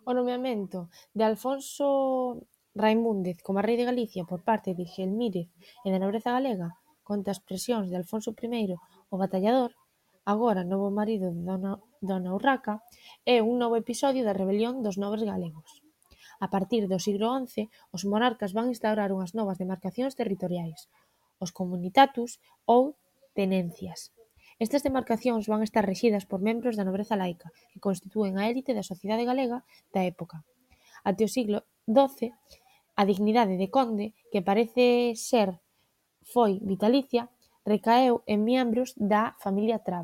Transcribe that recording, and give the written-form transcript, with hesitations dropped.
O nomeamento de Alfonso Raimúndez como rei de Galicia por parte de Gelmírez e da nobreza galega, contra as presións de Alfonso I o Batallador, agora novo marido de Dona Urraca, é un novo episodio da rebelión dos nobres galegos. A partir do siglo XI, os monarcas van instaurar unhas novas demarcacións territoriais, os comunitatus ou tenencias. Estas demarcacións van estar rexidas por membros da nobreza laica, que constitúen a élite da sociedade galega da época. Até o siglo XII, a dignidade de conde, que parece ser foi vitalicia, recaeu en membros da familia Traba.